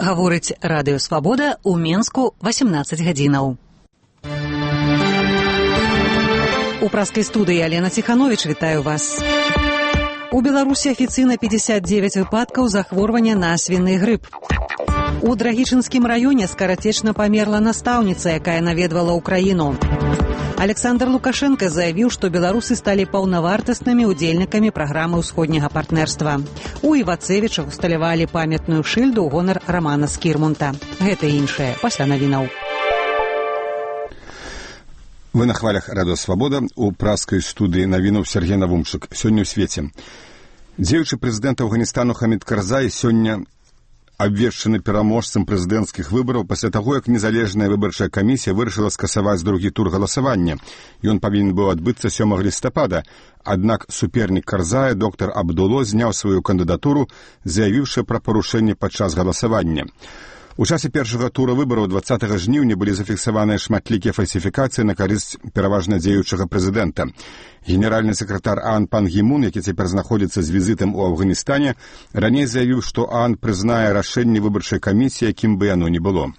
Гаворыць Радыё Свабода ў Менску 18 гадзінаў. У праскай студыі Алена Ціхановіч, вітаю вас. У Беларусі афіцыйна 59 выпадкаў захворвання на свіны грып. У Драгічынскім раёне скарацечна памерла настаўніца, якая наведвала ўкраіну. Александр Лукашенко заявіў, што беларусы сталі паўнавартаснымі удзельнікамі праграмы ўсходняга партнерства. У Івацевічах усталявалі памятную шыльду ў гонар Рамана Скірмунта. Гэта і іншае пасля навінаў. Вы на хвалях Радыё Свабода. У праскай студыі навінуў Сергей Навумчык. Сёння ў свеце. Дзеючы прэзідэнт Афганістану Хамід Карзай сёння абвешчаны пераможцам прэзідэнцкіх выбараў пасля таго, як незалежная выбарчая камісія вырашыла скасаваць другі тур галасавання. Ён павінен быў адбыцца 7 лістапада. Аднак супернік Карзая, доктар Абдуло, зняў сваю кандыдатуру, заявіўшы пра парушэнне падчас галасавання. У часе першага тура выбараў 20 жніўня былі зафіксаваныя шматлікія фальсіфікацыі на карысць пераважна дзеючага прэзідэнта. Генеральны сакратар ААН Пан Гі Мун, які цяпер знаходзіцца з візітам у Афганістане, раней заявіў, што ААН прызнае рашэнне выбарчай камісіі, якім бы яно ні было.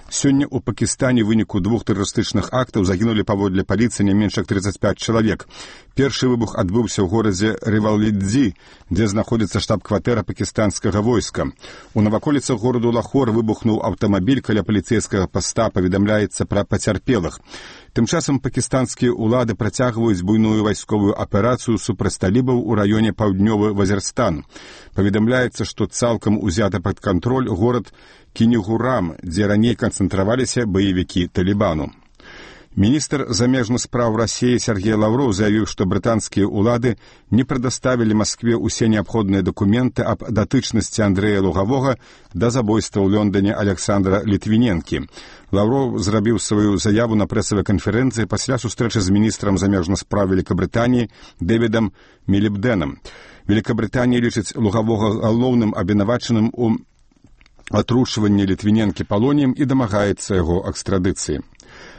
Сёння ў Пакістане ў выніку 2 тэрарыстычных актаў загінулі паводле паліцыі не менш як 35 чалавек. Першы выбух адбыўся ў горадзе Рывалидзи, дзе знаходзіцца штаб-кватэра пакістанскага войска. У наваколіцах гораду Лахор выбухнуў аўтамабіль каля паліцэйскага паста, паведамляецца пра пацярпелых. Тым часам пакістанскія ўлады працягваюць буйную вайсковую аперацыю супраць талібаў у раёне Паўднёвы Вазірстан. Паведамляецца, што цалкам узята пад кантроль горад Кінігурам, дзе раней канцэнтраваліся баевікі Талібану. Міністр замежных спраў Расіі Сергей Лаўроў заявіў, што брытанскія ўлады не прадаставілі Маскве ўсе неабходныя дакументы аб датычнасці Андрэя Лугавога да забойства ў Лондоне Александра Літвіненкі. Лаўроў зрабіў сваю заяву на прэсавай канферэнцыі пасля сустрэчы з міністрам замежных спраў Великабрытаніі Дэвідам Мілібдэнам. Великабрытанія лічыць Лугавога галоўным абвінавачаным у атручванні Літвіненкі палоніем і дамагаецца яго экстрадыцыі.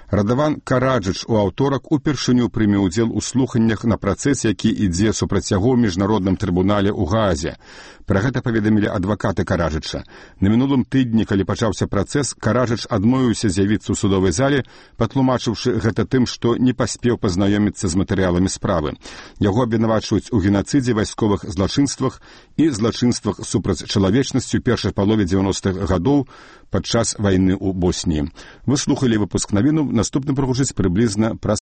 Радаван Караджыч у аўторак упершыню прыме ўдзел у слуханнях на працэсе, які ідзе супраць яго ў міжнародным трыбунале ў Гаазе. Пра гэта паведамілі адвакаты Караджыча. На мінулым тыдні, калі пачаўся працэс, Караджыч адмовіўся з'явіцца ў судовай зале, патлумачыўшы гэта тым, што не паспеў пазнаёміцца з матэрыяламі справы. Яго абвінавачваюць у генацыдзе, вайсковых злачынствах і злачынствах супраць чалавечнасці ў першай палове 90-х гадоў падчас вайны ў Босніі. Вы слухалі выпуск навінаў. Наступны прагучыць прыблізна праз